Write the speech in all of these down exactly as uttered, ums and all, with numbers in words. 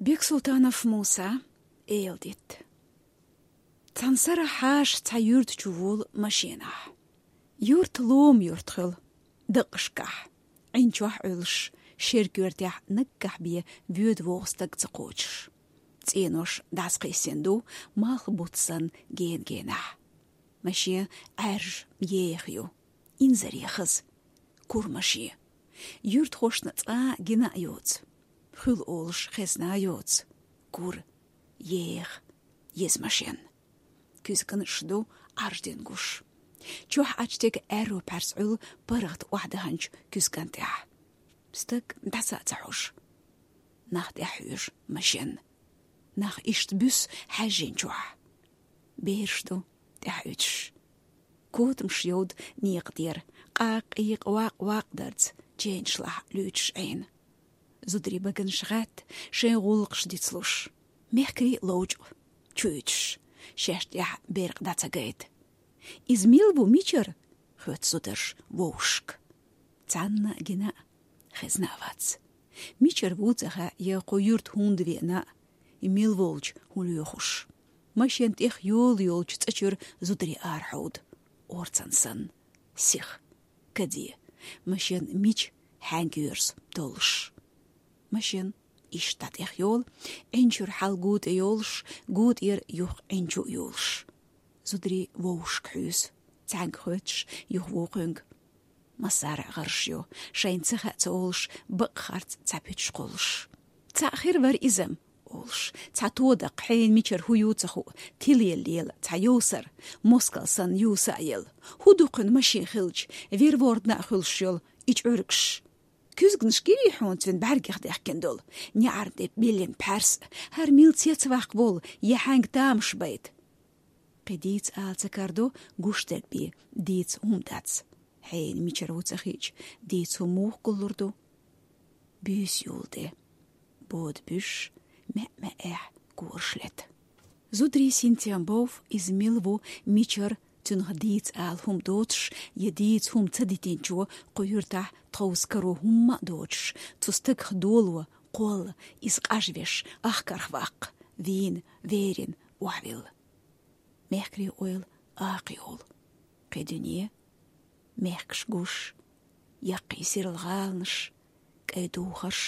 Бексултанов Муса, «Элдит». Цхьан сарахь хьаша цхьа юрта чу волу машенахь. Юрт лома юрт хуьлу, дакъашкахь, Ӏин чохь Ӏуьллуш, шеран коьртехь наггахь бен воьду-вогӀу стаг ца кхочуш. ЦӀенош дӀасакхиссина ду, малх буц санна гена-генахь. Машен Ӏаьржа, еха ю, инзаре хаза. Кура машен. Юьртахошна цкъа а гина а йоцу. Хуьлу олуш хезна а йоцу. Кура, еха, еза машен. Куьзганаш ду Ӏарждина гуш. Чохь Ӏачу тига аьрру пхьарс Ӏуьллу паргӀат охьадаханчу куьзган тӀехь. Стаг дӀаса а ца хьожу. Нах тӀаьхьа хьоьжу машен. Нах иштта буьссу хьаьжжина чохь. Бераш ду тӀаьхьа уьдуш. Котамаш йовду некъа тӀера, къакъ-къийкъ, вакъ-вакъ дарца, ченашлахь луьйчуш Ӏийна. Зударийн баганаш гӀатта, шайн гӀуллакхаш дицлуш. Мехкарий ловчкъа чу уьдуш, шаьш тӀехь беркъа дӀа ца гайта. «Иза мила ву, мичара?» — хоьтту зударша вовшашка. Цхьанна а гина а, хезна а вац. Мичара ву ца хаьа, я кху юьрта хӀунда веана а, и мила волчу хӀун лоьхуш. Машен тӀех йола йолчу цӀа чуьра зударий арахьовду, орцан санна, сиха, каде, машен мича, хьаьнга йоьрзу толлуш. Машен иштта тӀех йолу, Ӏин чуьра хьал гу тӀе йолуш, гу тӀера юха Ӏин чу а йолуш. Зударий вовшашка хьуьйсу, цхьаьнга хоьттуш, юха вукхуьнга. Массара а гӀарш ю, шайна ца хаьа ца олуш, бакъ харц цхьа пуьташ кхуллуш. «Цхьаъ хир вара иза», — олуш, цхьа тодаккха хьенан мичара хӀун ю ца хуу, тилаелла лела цхьа йовсар, москал санна юса а елла. ХӀун ду кхуьнан машен хилча, вер-вордана а хуьлуш йолу и чӀуьргаш? Куьзганаш гирий хьуна цуьнан бӀаьргех дехкина долу, неӀарна тӀе биллина пхьарс, хӀара мила цецваккха волу, я хьаьнга тамаш байта? Кхин дийца ала ца карадо, гуш дерг бен дийца хӀума дац. Хьенан мичара ву ца хиъча, дийца хӀума муха гуллур ду? Буьйса юла тӀе. Бода буьш, маьӀ-маьӀӀехь кораш лета. Зударий синтем бов, иза мила ву, мичара, цуьнах дийца ала хӀума доцуш, я дийца хӀума ца дитинчо, кху юьртахь тховса каро хӀумма а доцуш, цу стагах доло, кхолла, иза къажвеш, ахкарх ваккха, вийна, верина, охьавилла. Мехкарийн ойла акха йолу. Кхин дуьне, мехкаш гуш, яккхий сирла гӀаланаш, кӀайн духарш,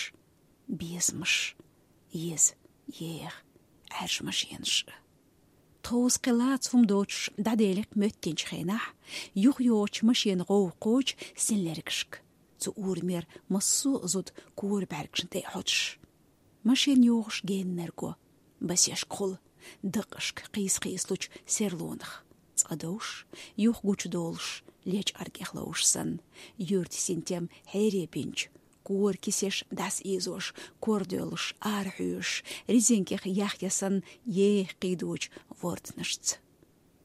безамаш, еза, еха, Ӏаьржа машенаш. Тховса кхин лаца хӀума доцуш дӀаделира моьттинчу хенахь, юхайогӀучу машенан гӀовгӀа кхочу синлергашка, цу урамера массо а зуда кора бӀаьргашна тӀе а хьоьцуш. Машен йогӀуш геннарг го, басешка хула, дакъашка кхийса-кхийсалучу серлонах, цкъа довш, юха гучудолуш, лечкъаргех ловш санна, юьртан синтем хьере бинчу, кора кисеш дӀасаийзош, кор доьллуш, арахьоьжуш, резинкех яхъясанна еха кхийдочу ворданашца.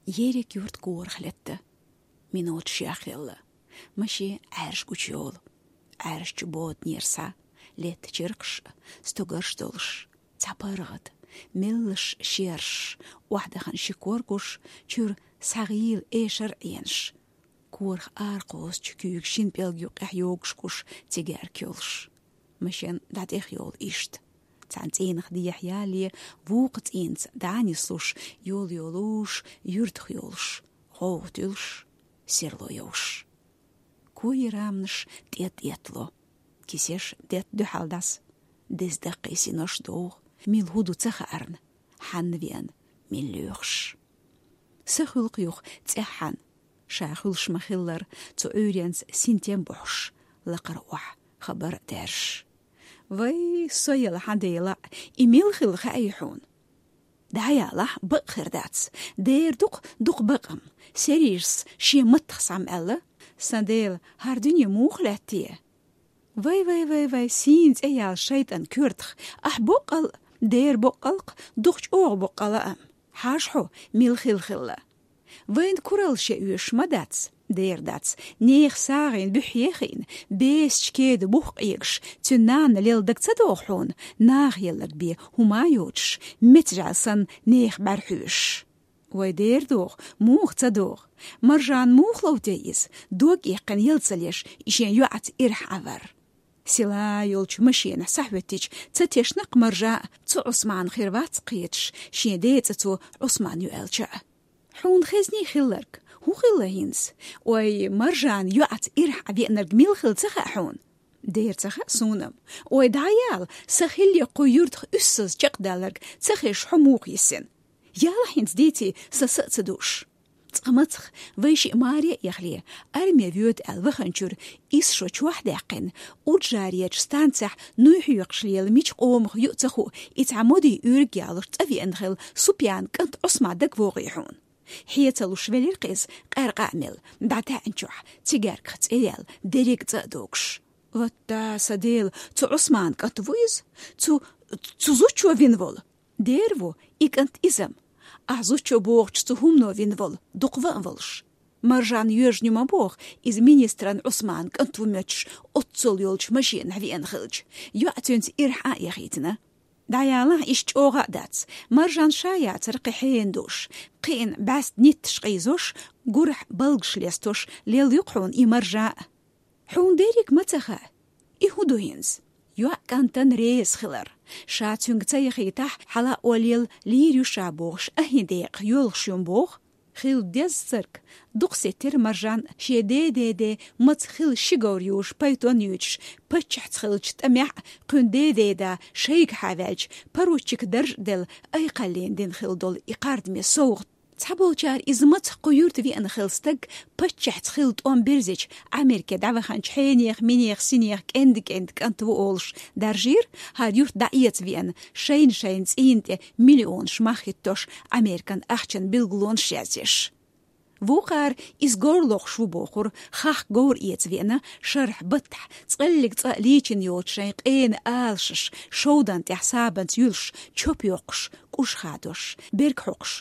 Ерриг юрт корах летта. Миноташ яхъелла. Машен Ӏаьржа гучуйолу. Ӏаьржачу боданера схьа летта чиркхаш а, стогарш долуш, цхьа паргӀат, меллаша шераш, охьадахана ши кор гуш, чуьра схьагӀийла эшар а Ӏенаш. Корах аракхозучу куьйган шина пӀелг юккъехь йогуш гуш цигаьрка йолуш. Машен дӀатӀехйолу иштта. Цхьана цӀийнах дехьа ялале, вукху цӀийнаца дӀа а нислуш, йола йолуш, юьртах йолуш, гӀовгӀа туьллуш, серло йовш. Кои раманаш тӀе-тӀе тӀеттало. Кисеш детта дуьхьал дӀаса. Деза даккхий синош довгӀу, мила хӀун ду ца хаарна, хьанна веана, мила лоьхуш. Са хуьлу-кх юха цӀеххьана, ша хуьлуш ма-хиллара, цу Ӏуьйренца синтем бохьуш, лакхара охьа хабар а даьржаш. Вай, со яла хьан дела, и мила хилла хаьий хьуна? ДӀаялахь, бакъ хир дац. Дера ду-кх дукха бакъам. Сережас шен маттах схьа ма аьлла: «Сан дела, хӀара дуьне муха лаьтта те?» Вай, вай, вай, вай, сийна цӀе яьлла шайтӀан коьртах, ахь боккъал, дера боккъал-кх, дукха чӀогӀа боккъал а. Хьажа хьо, мила хилла хилла. Вайна куралла шен оьшуш ма дац, дера дац, нехан сагӀина буьххье хиъна, бесачу кеда бух къегаш, цуьнан нана лелла даг ца догӀу хьуна, наха елларг бен хӀума а йоцуш, мецажал санна нехан бӀаьрхьоьшуш. Вай, дера догӀу, муха ца догӀу? Маржана муха лов те иза, дог эккхина ял ца леш, и шен йоӀаца ирахь Ӏан вар? Села йолчу машенахь схьахӀоьттича, ца тешна-кх Маржа, цу Ӏусмана хир вац кхеташ, шен ден цӀе цо Ӏусман ю аьлча а. «Хьуна хезний хилларг? ХӀун хилла хӀинца? Ой, Маржана йоӀаца ирахь веанарг мила хилла ца хаьа хьуна?» «Дера ца хаьа суна-м». «Ой, дӀаяла, сан хилларг кху юьртах уьссаза чекхдаларг ца хезаш хьо муха йисина? Яла хӀинца дийций, сан са а ца дууш». Цкъа мацах, вай шиъ маре а яхале, арме воьду аьлла ваханчуьра, исс шо чохь а даьккхина, Уджарерчу станцехь нуй хьоькхуш лела мича къомах ю а ца хуу, и цхьа Моди уьйриг ялош цӀа веана хилла Супьянан кӀант Ӏусман дагавогӀий хьуна? Хье ца луш велира-кх иза, къаьркъа а мелла, дӀатаьӀначохь, цигаьрках цӀе яьлла, дерриг а цӀа а догуш. «Ватта, сан Дела, цу Ӏусманан кӀант ву иза? Цу, цу зудчо вина волу?» «Дера ву, и кӀант иза-м. Ахь зудчо бохучу цу хӀумано вина волу, дукха ван а волуш. Маржана йоьжна ю ма боху, иза министран Ӏусманан кӀант ву моьттуш, оццул йолчу машенахь веана хилча, йоӀ цуьнца ирахь а яхийтина. ДӀаялахь, иштта чӀогӀа а дац. Маржана ша яцара кхин хьенан дууш, кхиъна бӀаьста нитташ къийзош, гурахь балгаш лестош, лелла ю-кх хьуна и Маржа а. Хьуна дерриг ма ца хаьа. И хӀун ду хӀинца?» ЙоӀ кӀантана реза хилар. Ша цуьнга ца яхийтахь, хьала а оллел лийр ю ша бохуш, ахьа декъах йоьлхуш ю-м боху. Хилла деза царг. Дукха сеттира Маржана шен ден-ден-ден маца хилла ши говр юуш, пайтон юьйцуш, паччахьца хиллачу тӀамехь а, кхуьнан ден-ден да шайгахьа ваьлча, поручик дарж а делла, айкхаллина дина хилла долу и кхардаме совгӀат. Цхьаболчара иза маца кху юьрта веана хилла стаг паччахьца хилла тӀом бирзича, Америке дӀаваханчу хьенех, минех, синех кӀенда-кӀенда кӀант ву олуш даржийра, хӀара юрт дӀаэца веана, шайна-шайна цӀийнан тӀе миллионаш мах хӀиттош, Американ ахчан билгалонаш яздеш. Вукхара иза говр лохуш ву бохура, хахка говр эца веана, шарахь баттахь, цкъеллиг цӀа лийчина йоцу шайн къена алашаш, шовдан тӀехь сабанца юьлуш, чоп йоккхуш, кӀуж хадош, берг хьокхуш,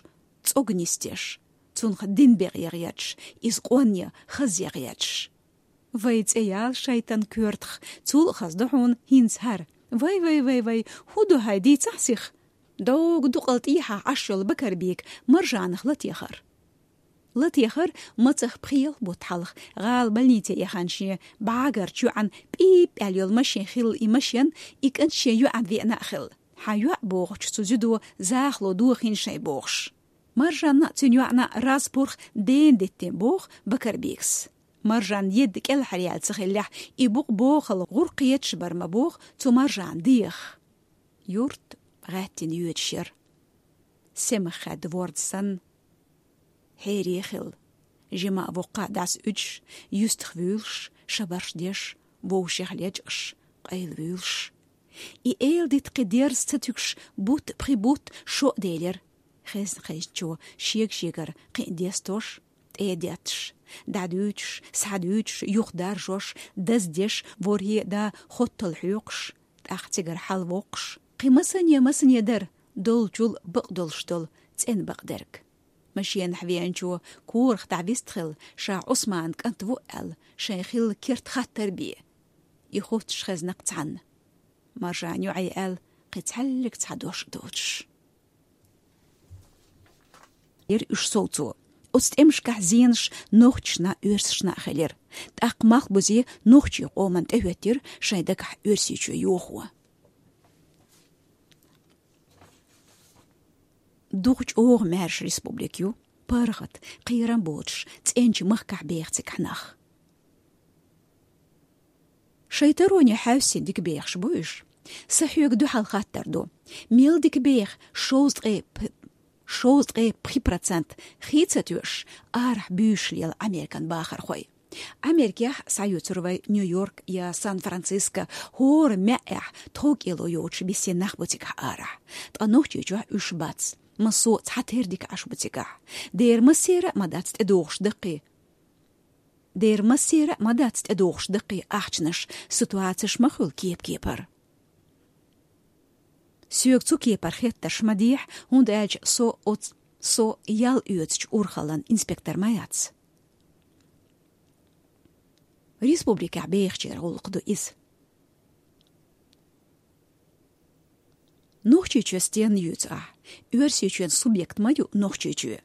цӀог нисдеш, цунах дин бекъе гӀерташ, иза къонне хазъе гӀерташ. Вай, цӀе яла шайтан коьртах, цул а хаза ду хьуна хӀинца хӀара. Вай, вай, вай, вай, хӀун ду хьайн, дийцахь сиха? Догу дукъал тӀехьа Ӏаш йолу Бакарбийга Маржанах латехар. Латехар мацах пхиъ-ялх бутт хьалха, гӀала больнице яхана шен бӀагарчу йоӀан пӀип-пӀел йолу машен хилла и машен, и кӀант шен йоӀан веана а хилла. Хьан йоӀ бохучу цу зудо захало дохийна шайн бохуш. Маржанна а, цуьнан йоӀна а раз-пурх дена диттина боху Бакарбийгас. Маржанна едда кӀелхьаръяьлла ца хиллехь, и букъ бохал гӀур кхеташ бара ма боху цу Маржанна дегӀах. Юрт гӀаьттина йоьдуш яра. Семах хаьдда ворда санна, хьере хилла. Жима а воккха а дӀасауьдуш, юьстах вуьйлуш, шабарш деш, вовшех лечкъаш, къайла вуьйлуш. И эладита кхин дерза ца туьгуш, бутт пхи бутт шо а делира. Хезна-хезначо шега-шегара кхин а дестош, тӀе а детташ, дӀадуьйцуш, схьадуьйцуш, юхадаржош, даздеш, ворхӀе а да хоттал хьоькхуш, тӀаккха цигара хьалавоккхуш. Кхин масане-масане дара, долчул бакъдолуш долу цӀена бакъдерг. Машенахь веанчо корах дӀавистхилла, ша Ӏусманан кӀант ву аьлла, шайн хилла керт хаттар бе. И хоттуш хезна-кх цхьанна. Маржан йоӀе аьлла, кхин цхьаьллиг цхьа дош а доцуш. Яра уьш совцо. Оцу тӀемашкахь зенаш нохчашна а, оьрсашна а хилира. ТӀаккха Малхбузе нохчийн къоман тӀехӀоьттира шайн дагахь Оьрсийчоь йохо. Дукха чӀогӀа маьрша республика ю, паргӀат, кхерам боцуш, цӀеначу махкахь беха цигахь нах. Шайн тароне хьаьвсина дика бехаш бу уьш. Сан хьоьга дуьхьал хаттар ду. Мел дика беха шовзткъе п-, шовзткъе пхи процент хи ца тоьуш, арахь буьйш лела Американ бахархой? Америкехь схьаюьйцур вай Нью-Йорк я Сан-Франциско, хӀора маьӀӀехь тховкӀело йоцуш бисина нах бу цигахь арахь. Ткъа Нохчийчохь уьш бац. Массо а цхьатерра дика Ӏаш бу цигахь. Дера массера а ма дац тӀедогӀуш даккхий. Дера массера а ма дац тӀедогӀуш даккхий ахчанаш, ситуацеш ма хуьлу кеп-кепара. Соьга цу кепара хеттарш ма дехьа, хӀунда аьлча со оц-, со ял оьцучу урхаллан инспектор ма яц. Республикехь бехачеран гӀуллакх ду иза. Нохчийчоь стенна юьйцу ахь? Оьрсийчоьнан субъект ма ю Нохчийчоь.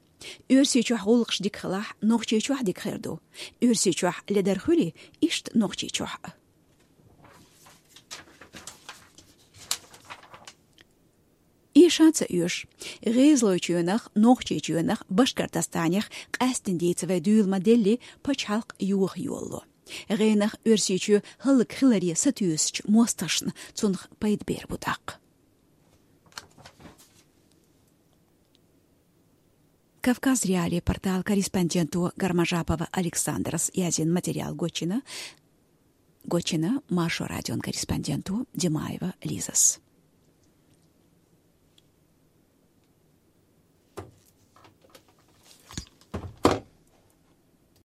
Оьрсийчохь гӀуллакхаш дика хилахь, Нохчийчохь дика хир ду. Оьрсийчохь ледар хуьлий, иштта Нохчийчохь а. Шанца уьш. ГӀезалойчоьнах, Нохчийчоьнах, Башкортостанех къаьстина дийца вай дуьйла ма делли, пачхьалкх йоха йолло. ГӀенах Оьрсийчоь хӀаллакьхиларе сатуьйсучу мостагӀашна цунах пайда бер бу тӀаккха. Кавказ.Реалии портал корреспонденто Гармажапова Александрас язйина материал гочйина, гочйина Маршо радион корреспонденто Димаева Лизас.